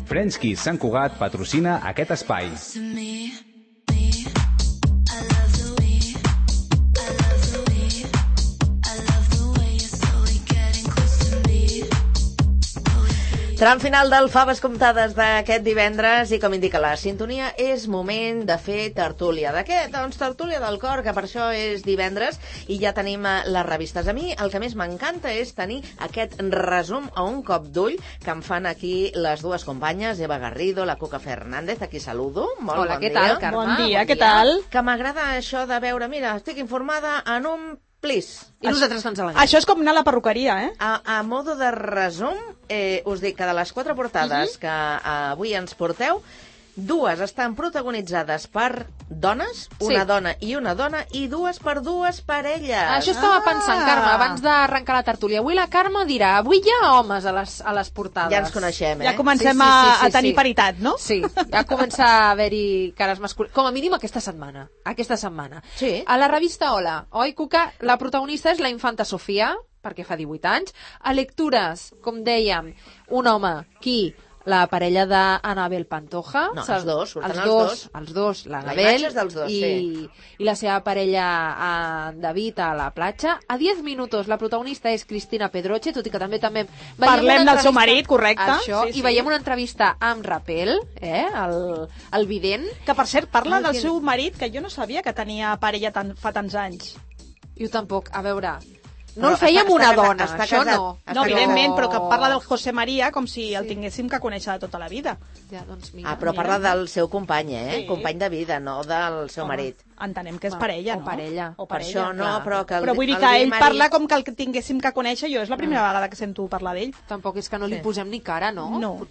French Sant Cugat patrocina aquest espai. Tram final del Faves Comptades d'aquest divendres i, com indica la sintonia, és moment de fer tertúlia. De què? Doncs tertúlia del cor, que per això és divendres i ja tenim les revistes. A mi el que més m'encanta és tenir aquest resum a un cop d'ull que em fan aquí les dues companyes, Eva Garrido, la Cuca Fernández, aquí saludo. Molt Hola, bon què dia. tal, Carme? Bon dia, què tal? Que m'agrada això de veure, mira, estic informada en un plis. I nosaltres ens alegrem. Això és com anar a la perruqueria, eh? A modo de resum, us dic que de les 4 portades que avui ens porteu, 2 estan protagonitzades per dones, una dona, i 2 per 2 parelles. Això estava pensant, Carme, abans d'arrencar la tertúlia. Avui la Carme dirà, avui hi ha homes a les portades. Ja ens coneixem, eh? Ja comencem a tenir paritat, no? Sí, ja comença a haver-hi cares masculines. Com a mínim aquesta setmana. Sí. A la revista Hola, oi, Cuca? La protagonista és la infanta Sofia, perquè fa 18 anys. A lectures, com dèiem, un home, qui? La parella d'Anabel Pantoja. No, els dos, surten els dos, l'Anabel la imatge és dels dos, i la seva parella David a la platja. A 10 minuts la protagonista és Cristina Pedroche, tot i que també parlem del seu marit, correcte. Això, i veiem una entrevista amb Rapel, el vident. Que, per cert, parla del seu marit, que jo no sabia que tenia parella fa tants anys. Jo tampoc, a veure... No el feia amb una dona, això no. No, evidentment, però que parla del José María com si el tinguéssim que conèixer de tota la vida. Ja, doncs mira, però parla del seu company, company de vida, no del seu marit. Entenem que és parella, no? O parella. Per això no, però que... Però vull dir que ell parla com que el tinguéssim que conèixer, jo és la primera vegada que sento parlar d'ell. Tampoc és que no li posem ni cara, no? No.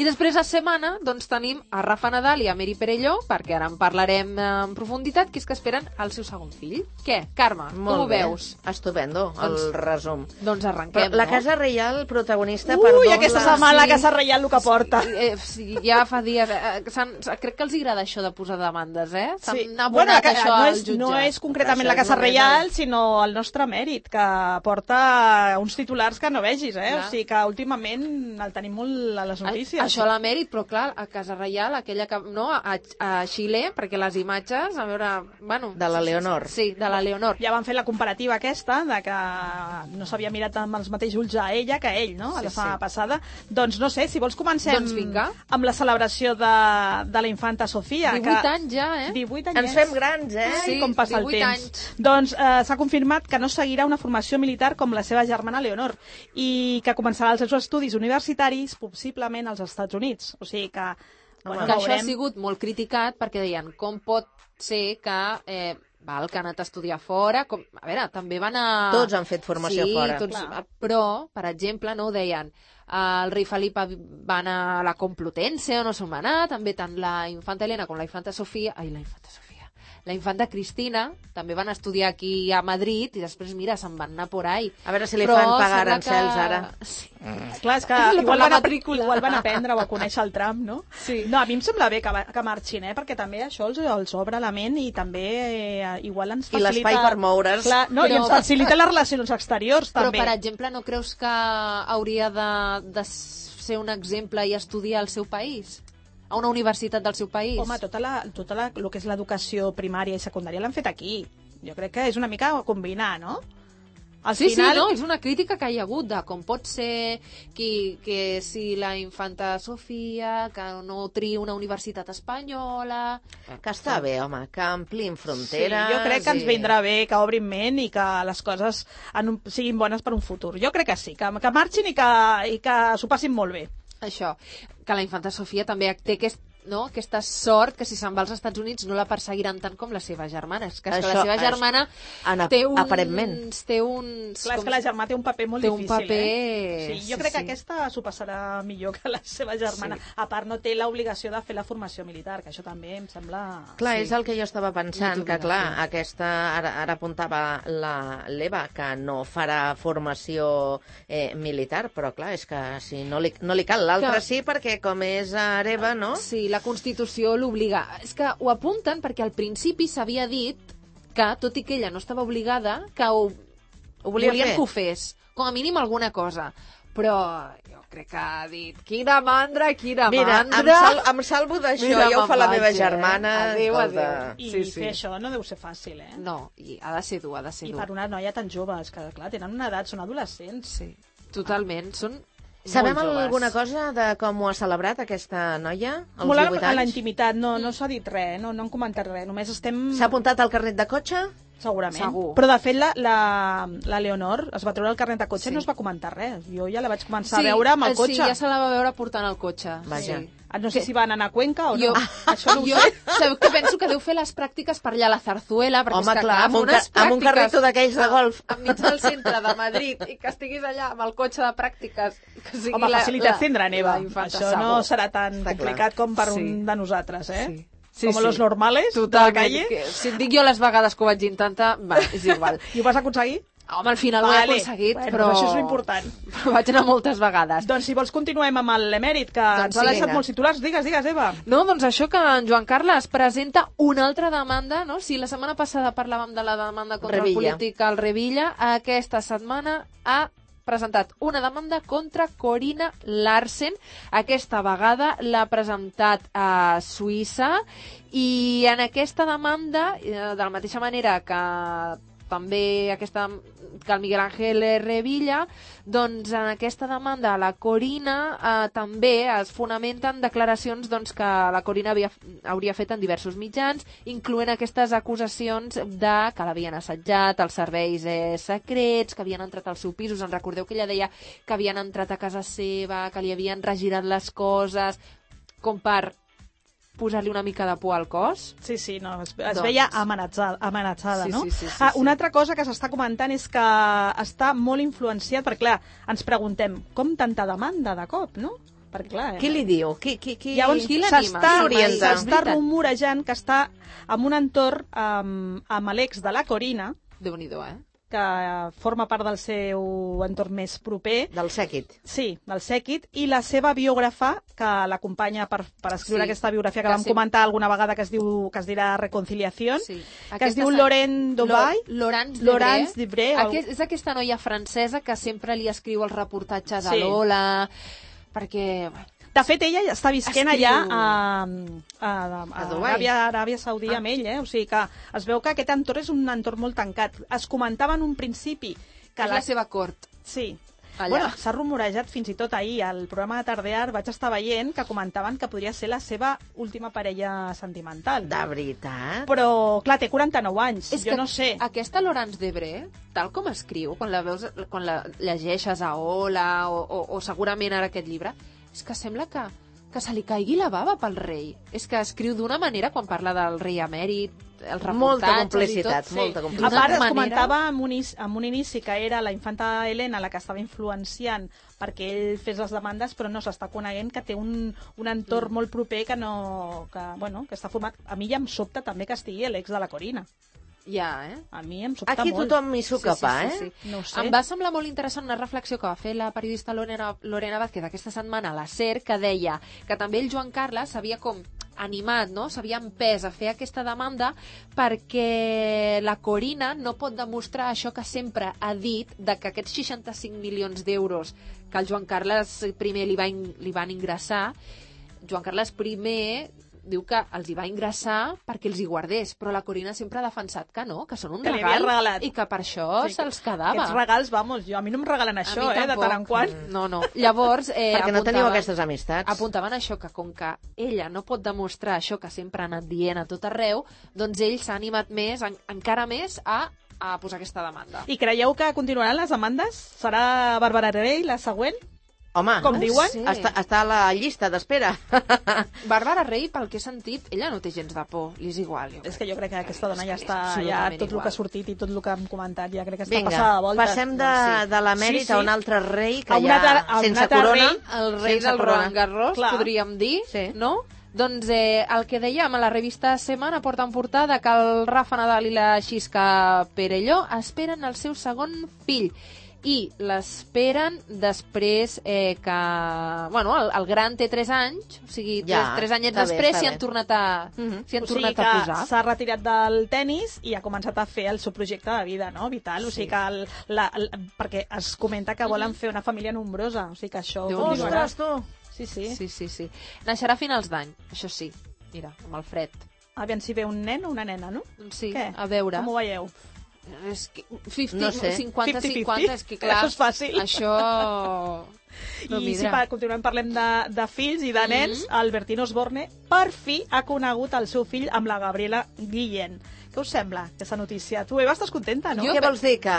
I després a setmana, doncs tenim a Rafa Nadal i a Meri Perelló, perquè ara en parlarem en profunditat, que és que esperen el seu segon fill. Què, Carme, com ho veus? Estupendo, el resum. Doncs arrenquem, la Casa Reial, protagonista, perdó... Ui, aquesta setmana la Casa Reial el que porta. Sí, ja fa dies... Crec que els agrada això de posar demandes, eh? Sí. Bueno, no és concretament la Casa Reial, sinó el nostre mèrit, que porta uns titulars que no vegis, eh? Clar. O sigui que últimament el tenim molt a les notícies. Això la mèrit, però clar, a Casa Reial, aquella que... No, a Xile, perquè les imatges, a veure... Bueno, de la Leonor. Sí, de la Leonor. Ja van fer la comparativa aquesta, de que no s'havia mirat amb els mateixos ulls a ella que a ell, no? A la setmana passada. Doncs no sé, si vols comencem amb la celebració de la infanta Sofia. 18 anys ja, eh? 18 anys. Ens fem grans, eh? Sí, com passa el temps. Doncs s'ha confirmat que no seguirà una formació militar com la seva germana Leonor i que començarà els seus estudis universitaris possiblement als Estats Units. O sigui que... Bueno, que això ha sigut molt criticat perquè deien com pot ser que... que han anat a estudiar fora, a veure, també van a... Tots han fet formació fora. Tots, però, per exemple, no ho deien, el rei Felip va anar a la Complutense, o no se'n va anar, també tant la infanta Helena com la infanta Sofia, la infanta Cristina, també van estudiar aquí a Madrid i després, mira, se'n van anar por ahí. A veure si li fan pagar arancels ara. Sí. Clar, és que igual van aprendre o a conèixer el tram, no? Sí. No, a mi em sembla bé que marxin, perquè també això els obre la ment i també igual ens facilita... I l'espai per moure's. Clar, no, i ens facilita les relacions exteriors, també. Però, per exemple, no creus que hauria de ser un exemple i estudiar al seu país? A una universitat del seu país? Home, el que és l'educació primària i secundària l'han fet aquí. Jo crec que és una mica combinar, no? Sí, no, és una crítica que hi ha hagut de com pot ser que si la infanta Sofia, que no triï una universitat espanyola... Que està bé, home, que amplin fronteres... Sí, jo crec que ens vindrà bé, que obrin ment i que les coses siguin bones per un futur. Jo crec que sí, que marxin i que s'ho passin molt bé. Això, que la infanta Sofia també té aquesta sort que si se'n va als Estats Units no la perseguiran tant com la seva germana. És que la seva germana té uns... Clar, és que la germana té un paper molt difícil. Sí, jo crec que aquesta s'ho passarà millor que la seva germana. Sí. A part, no té l'obligació de fer la formació militar, que això també em sembla... Clar, és el que jo estava pensant, que clar, aquesta... Ara apuntava l'Eva, que no farà formació militar, però clar, és que si no li cal. L'altre sí, perquè com és hereva, no? Sí, la Constitució l'obliga. És que ho apunten perquè al principi s'havia dit que, tot i que ella no estava obligada, que volien que ho fes, com a mínim alguna cosa. però jo crec que ha dit quina mandra. Mira, em salvo d'això, ja ho fa la meva germana. Adéu. I fer això no deu ser fàcil, eh? No, i ha de ser dur, I per una noia tan jove, és que clar, tenen una edat, són adolescents. Sí, totalment, són Sabem molt joves. alguna cosa de com ho ha celebrat aquesta noia, als Molt 18 a la anys? intimitat, no s'ha dit res, no han comentat res, només estem... S'ha apuntat al carnet de cotxe? Segurament. Segur. Però, de fet, la Leonor es va treure el carnet de cotxe i no es va comentar res. Jo ja la vaig començar a veure amb el cotxe. Sí, ja se la va veure portant el cotxe. Vaja. Sí. No sé si van anar a Cuenca o no. Això no ho sé. Sabeu que penso que deu fer les pràctiques per allà a la Zarzuela, perquè Home, és que, clar, amb un carrito d'aquells de golf. Enmig del centre de Madrid, i que estiguis allà amb el cotxe de pràctiques. Que sigui Home, facilitats tindran, Eva. Això no serà tan Està complicat com per Sí. un de nosaltres, eh? Sí. Sí, Com los normales de la totalment, calle. que, si et dic jo les vegades que ho vaig intentar, va, és igual. I ho vas aconseguir? Home, al final ho he aconseguit, bueno, però... això és l'important. Però vaig anar moltes vegades. Doncs si vols continuem amb l'emèrit, que Doncs ens ha sí, deixat vinga. molts titulars. Digues, Eva. No, doncs això que en Joan Carles presenta una altra demanda, no? Si la setmana passada parlàvem de la demanda contra el polític al Revilla, aquesta setmana ha presentat una demanda contra Corina Larsen. Aquesta vegada l'ha presentat a Suïssa i en aquesta demanda, de la mateixa manera que també que el Miguel Ángel Revilla, doncs en aquesta demanda a la Corina també es fonamenten declaracions doncs, que la Corina hauria fet en diversos mitjans, incloent aquestes acusacions de que l'havien assetjat, els serveis secrets, que havien entrat al seu pis. Us en recordeu que ella deia que havien entrat a casa seva, que li havien regirat les coses, com per posar-li una mica de por al cos. Sí, no, es veia amenaçada, Sí, no? sí. Una altra cosa que s'està comentant és que està molt influenciat, perquè clar, ens preguntem, com tanta demanda de cop, no? Perquè clar... Qui li diu? Llavors qui l'anima? s'està rumorejant que està en un entorn amb l'ex de la Corina, Déu-n'hi-do, que forma part del seu entorn més proper. Del sèquit. Sí, del sèquit, i la seva biògrafa, que l'acompanya per escriure aquesta biografia que vam comentar alguna vegada, que es dirà Reconciliación, que es diu Laurent Dovay. Laurence Debré. És aquesta noia francesa que sempre li escriu els reportatges a Lola, perquè... De fet, ella està visquent allà a Dubai. Aràbia Saudí amb ell, o sigui que es veu que aquest entorn és un entorn molt tancat. Es comentava en un principi que és la seva cort. Sí. Allà. Bueno, s'ha rumorejat fins i tot ahir al programa de Tardear, vaig estar veient que comentaven que podria ser la seva última parella sentimental. De veritat? Però, clar, té 49 anys, jo no sé. Aquesta Laurence Debré, tal com escriu, quan la llegeixes a Ola o segurament ara aquest llibre, és que sembla que se li caigui la bava pel rei. És que escriu d'una manera quan parla del rei emèrit, els reportatges molta complicitat, i tot. molta complicitat. A part, es comentava en un inici que era la infanta Helena la que estava influenciant perquè ell fes les demandes, però no s'està coneguent que té un entorn molt proper que està format. A mi ja em sobta també que estigui l'ex de la Corina. Ja, A mi em sobta Aquí molt. tothom m'hi s'ho capa, sí. No ho sé. Em va semblar molt interessant una reflexió que va fer la periodista Lorena Vázquez aquesta setmana a la SER, que deia que també el Joan Carles s'havia com animat, no? S'havia empès a fer aquesta demanda perquè la Corina no pot demostrar això que sempre ha dit, de que aquests 65 milions d'euros que el Joan Carles I li van ingressar, Joan Carles I diu que els hi va ingressar perquè els hi guardés, però la Corina sempre ha defensat que no, que són un regal i que per això se'ls quedava. Aquests regals, a mi no em regalen això, de tant en quant. No. Llavors, perquè no teniu aquestes amistats. Apuntaven això, que com que ella no pot demostrar això que sempre ha anat dient a tot arreu, doncs ell s'ha animat més, encara més, a posar aquesta demanda. I creieu que continuaran les demandes? Serà Bàrbara Rey la següent? Home, com diuen? Sí. Està a la llista d'espera. Bàrbara Rey, pel que he sentit, ella no té gens de por, li és igual. És que jo crec que aquesta dona ja està, tot el que ha sortit i tot el que hem comentat, ja crec que està Vinga, passada de voltes. Passem de l'emèrit a un altre rei que sense corona. El rei del Roland Garros, podríem dir, no? Doncs el que dèiem a la revista Semana porta en portada que el Rafa Nadal i la Xisca Perelló esperen el seu segon fill. i l'esperen després que... Bueno, el gran té 3 anys, o sigui, 3 anyets després s'hi han tornat a posar. S'ha retirat del tennis i ha començat a fer el seu projecte de vida, no? Vital, o sigui que perquè es comenta que volen fer una família nombrosa, o sigui que això... Ostres, tu! Sí. Naixerà a finals d'any, això sí. Mira, amb el fred. Aviam si ve un nen o una nena, no? Sí, què? A veure. Com ho veieu? És que 50, no sé. 50-50, és que clar... Això és fàcil. Això... No I si continuem parlem de fills i de nens, el Bertín Osborne per fi ha conegut el seu fill amb la Gabriela Guillén. Què us sembla, aquesta notícia? Tu, Eva, estàs contenta, no? Què vols dir que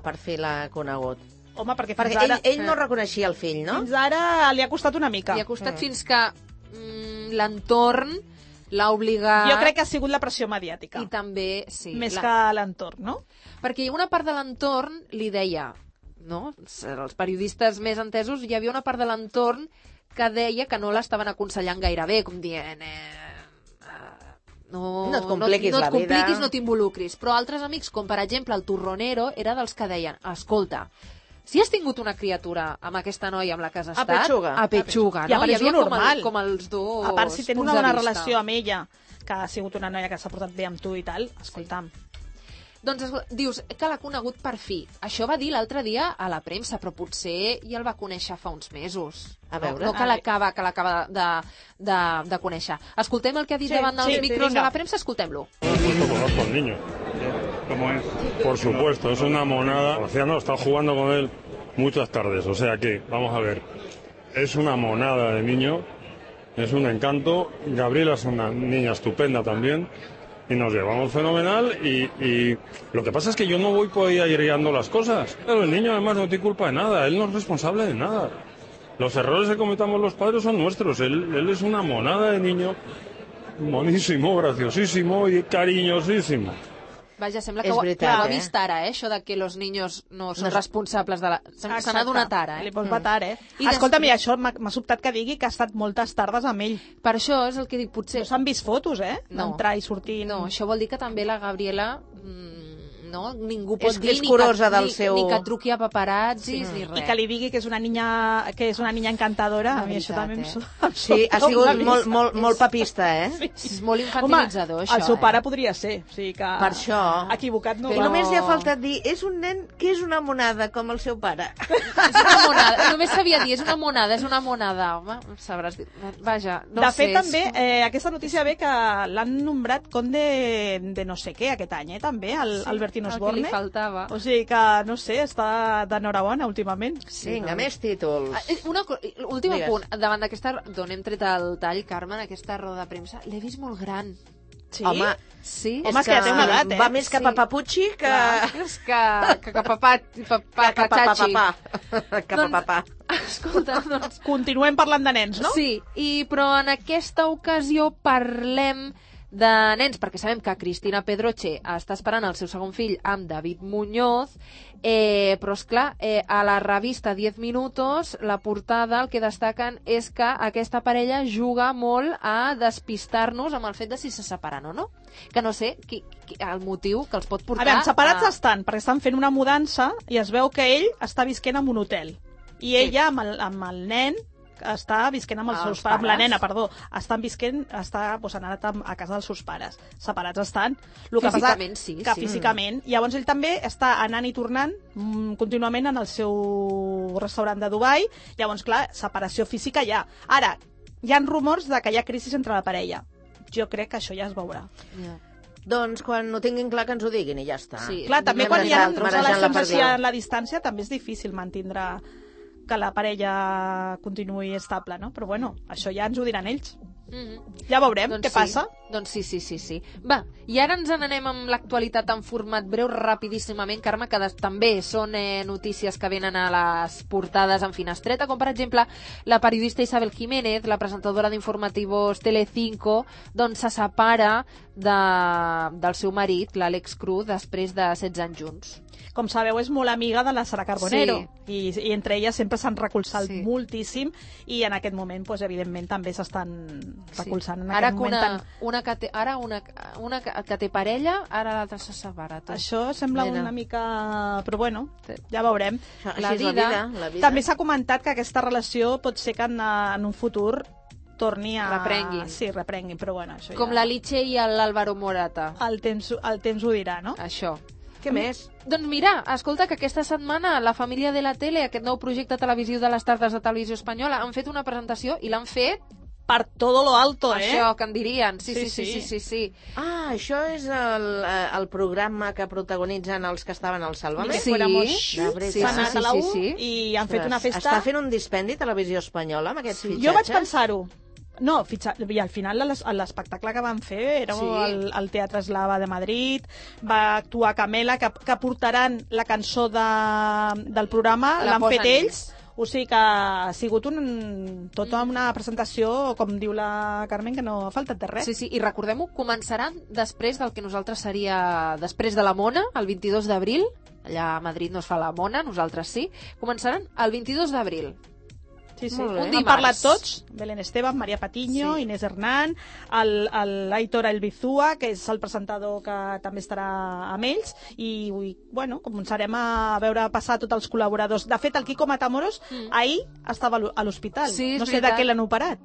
per fi l'ha conegut? Home, perquè fins ara... ell no reconeixia el fill, no? Fins ara li ha costat una mica. Li ha costat fins que l'entorn l'ha obligat... Jo crec que ha sigut la pressió mediàtica. I també, sí. Més que l'entorn, no? Perquè una part de l'entorn li deia, no? Els periodistes més entesos, hi havia una part de l'entorn que deia que no l'estaven aconsellant gaire bé, com dient... No et compliquis la vida. No t'involucris. Però altres amics, com per exemple el Turronero, era dels que deien, escolta, si has tingut una criatura amb aquesta noia amb la que has estat... Apetxuga, no? I a part és normal. Com els dos. A part, si tens una bona relació amb ella, que ha sigut una noia que s'ha portat bé amb tu i tal, escolta'm. Doncs dius que l'ha conegut per fi. Això va dir l'altre dia a la premsa, però potser ja el va conèixer fa uns mesos. A veure. No que l'acaba de conèixer. Escoltem el que ha dit davant dels micros de la premsa, escoltem-lo. Conozco al niño. ¿Cómo es? Por supuesto, es una monada. He estado jugando con él muchas tardes, o sea que, vamos a ver, es una monada de niño, es un encanto. Gabriela es una niña estupenda también. Y nos llevamos fenomenal y lo que pasa es que yo no voy por ahí guiando las cosas. Pero el niño además no tiene culpa de nada, él no es responsable de nada. Los errores que cometamos los padres son nuestros, él es una monada de niño, monísimo, graciosísimo y cariñosísimo. Vaja, sembla que ho ha vist ara, això de que los niños no són responsables de la... Se n'ha donat ara, Li pots matar, Escolta'm, i això m'ha sobtat que digui que ha estat moltes tardes amb ell. Per això és el que dic, potser... No s'han vist fotos, d'entrar i sortir... No, això vol dir que també la Gabriela... No? Ningú pot dir és curosa del seu... ni que truqui a paparazzis ni res. I que li digui que és una niña encantadora, a mi això també em Sí, ha sigut molt papista, És molt infantilitzador, això. El seu pare podria ser, o sigui que... Per això... Equivocat no. I només li ha faltat dir, és un nen que és una monada, com el seu pare. És una monada, només sabia dir, és una monada, home, sabràs dir. Vaja, no sé. De fet, també, aquesta notícia ve que l'han nombrat conde de no sé què aquest any, també, el Bertín Osborne. El que li faltava. O sigui que, no sé, està d'enhorabona últimament. Vinga, més títols. Últim punt, davant d'aquesta... D'on hem tret el tall, Carme, en aquesta roda de premsa, l'he vist molt gran. Sí? Home, sí. Home, és que ja té una edat, Va més cap a Papucci que... És que cap a papà. Escolta, doncs... Continuem parlant de nens, no? Sí, però en aquesta ocasió parlem de nens, perquè sabem que Cristina Pedroche està esperant el seu segon fill amb David Muñoz, però esclar, a la revista 10 Minutos, la portada, el que destaquen és que aquesta parella juga molt a despistar-nos amb el fet de si se separen o no. Que no sé el motiu que els pot portar... A veure, separats estan, perquè estan fent una mudança i es veu que ell està visquent en un hotel. I ella, amb el nen, està visquent amb els seus pares, amb la nena, perdó, han anat a casa dels seus pares. Separats estan. Físicament, sí. Físicament. Llavors ell també està anant i tornant contínuament en el seu restaurant de Dubai. Llavors, clar, separació física hi ha. Ara, hi ha rumors de que hi ha crisi entre la parella. Jo crec que això ja es veurà. Doncs quan ho tinguin clar que ens ho diguin i ja està. Sí, clar, també quan hi ha relacions a la distància també és difícil mantindre que la parella continuï estable, no? Però bueno, això ja ens ho diran ells. Ja veurem què passa. Doncs sí. Va, i ara ens n'anem amb l'actualitat en format breu, rapidíssimament, Carme, que també són notícies que venen a les portades en finestreta, com per exemple la periodista Isabel Jiménez, la presentadora d'informativos Telecinco, doncs se separa del seu marit, l'Àlex Cruz, després de 16 anys junts. Com sabeu, és molt amiga de la Sara Carbonero i entre elles sempre s'han recolzat moltíssim i en aquest moment, doncs, evidentment, també s'estan recolzant. En Ara aquest que moment una que té parella, ara l'altra se separa. Això sembla una mica... Però bueno, ja veurem. La vida. També s'ha comentat que aquesta relació pot ser que en un futur torni a... Reprenguin. Sí, reprenguin, però bueno, això Com ja... la Liche i l'Álvaro Morata. El temps ho dirà, no? Això. Què més? Doncs mira, escolta, que aquesta setmana la família de la tele, aquest nou projecte televisiu de les tardes de Televisió Espanyola, han fet una presentació i l'han fet per todo lo alto, això que en dirien. Sí. Ah, això és el programa que protagonitzen els que estaven al Sálvame? Sí. S'ha anat a la U i han fet una festa... Està fent un dispendi Televisió Espanyola amb aquest fitxatge? Jo vaig pensar-ho. No, i al final l'espectacle que van fer era al Teatre Eslava de Madrid, va actuar Camela, que portaran la cançó del programa, l'han fet ells, o sigui que ha sigut tota una presentació, com diu la Carmen, que no ha faltat de res. Sí, i recordem-ho, començaran després del que nosaltres seria després de la Mona, el 22 d'abril, allà a Madrid no es fa la Mona, nosaltres sí, començaran el 22 d'abril. Sí. Han parlat tots, Belén Esteban, Maria Patiño, Inés Hernán, l'Aitor Elbizúa, que és el presentador que també estarà amb ells, i bueno, començarem a veure passar tots els col·laboradors. De fet, el Quico Matamoros ahir estava a l'hospital. Sí, no sé de què l'han operat.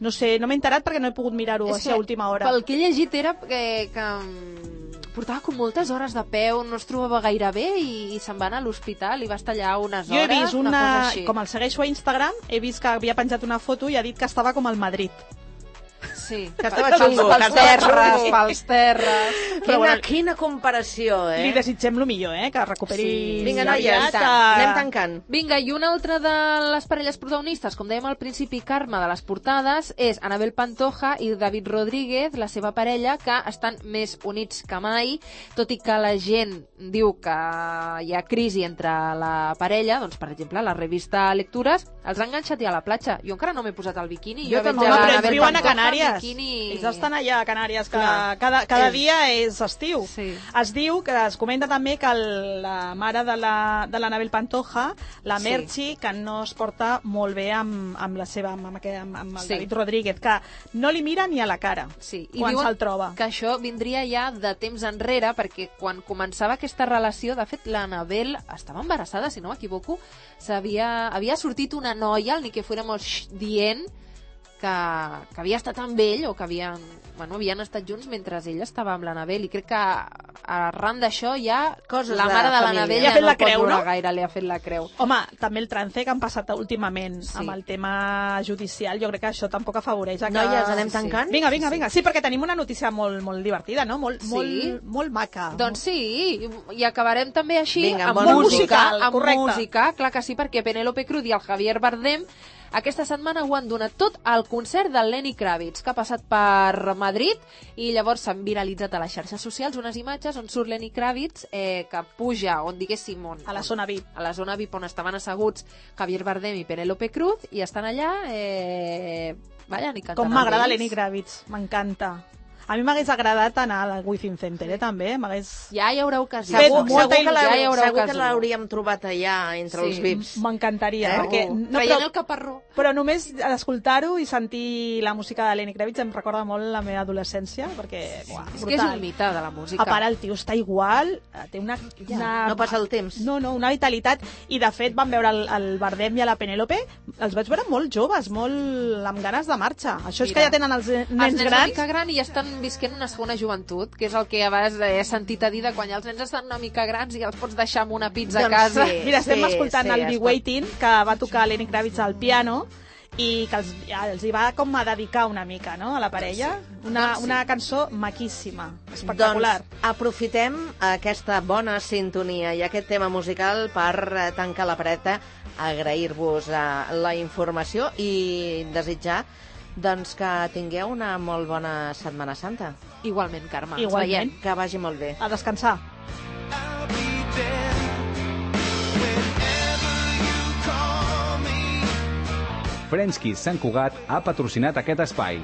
No sé, no m'he enterat perquè no he pogut mirar-ho així a última hora. Pel que he llegit era que portava com moltes hores de peu, no es trobava gaire bé i se'n va anar a l'hospital i va estar allà unes hores. Jo he vist una cosa així. Com el segueixo a Instagram, he vist que havia penjat una foto i ha dit que estava com al Madrid. Sí, que estava xungo. Pels terres. Quina comparació, Li desitgem el millor, que recuperi... Vinga, noies, anem tancant. Vinga, i una altra de les parelles protagonistes, com dèiem al principi, Carme, de les portades, és Anabel Pantoja i David Rodríguez, la seva parella, que estan més units que mai, tot i que la gent diu que hi ha crisi entre la parella, doncs, per exemple, la revista Lectures els ha enganxat ja a la platja. Jo encara no m'he posat el biquini. Jo també, però ells viuen a Canàries. Ells estan allà a Canàries, que cada dia és estiu. Es diu, que es comenta també que la mare de l'Anabel Pantoja, la Merchi, que no es porta molt bé amb el David Rodríguez, que no li mira ni a la cara quan se'l troba. Que això vindria ja de temps enrere, perquè quan començava aquesta relació, de fet, l'Anabel estava embarassada, si no m'equivoco, havia sortit una noia, el ni que fuéramos dient que havia estat amb ell o que havien estat junts mentre ell estava amb l'Anabel, i crec que arran d'això ja la mare de l'Anabel ja no pot veure gaire, li ha fet la creu. Home, també el trance que han passat últimament amb el tema judicial, jo crec que això tampoc afavoreix. Noies, anem tancant? Vinga. Sí, perquè tenim una notícia molt divertida, no? Molt maca. Doncs sí, i acabarem també així amb música, clar que sí, perquè Penélope Cruz i el Javier Bardem aquesta setmana ho han donat tot al concert del Lenny Kravitz, que ha passat per Madrid, i llavors s'han viralitzat a les xarxes socials unes imatges on surt Lenny Kravitz, que puja, on diguéssim... A la zona VIP. A la zona VIP, on estaven asseguts Javier Bardem i Penélope Cruz, i estan allà, ballant i cantant. Com m'agrada Lenny Kravitz, m'encanta. A mi m'hagués agradat anar al Within Center, també. Ja hi haurà ocasió. Segur que l'hauríem trobat allà, entre els VIPs. M'encantaria. Traient el caparró. Però només escoltar-ho i sentir la música de Lenny Kravitz em recorda molt la meva adolescència, perquè, brutal. És que és un mite de la música. A part, el tio està igual, té una... No passa el temps. No, una vitalitat. I, de fet, vam veure el Bardem i a la Penélope, els vaig veure molt joves, molt amb ganes de marxa. Això és que ja tenen els nens grans. Una mica gran i ja estan visquent una segona joventut, que és el que abans he sentit a dir de quan els nens estan una mica grans i els pots deixar amb una pizza a casa. Mira, estem escoltant el Be Waiting, que va tocar Lenny Kravitz al piano, i que els hi va com a dedicar una mica, no?, a la parella. Una cançó maquíssima, espectacular. Doncs aprofitem aquesta bona sintonia i aquest tema musical per tancar la pareta, agrair-vos la informació i desitjar doncs que tingueu una molt bona Setmana Santa. Igualment, Carme. Igualment. Que vagi molt bé. A descansar. French Kiss Sant Cugat ha patrocinat aquest espai.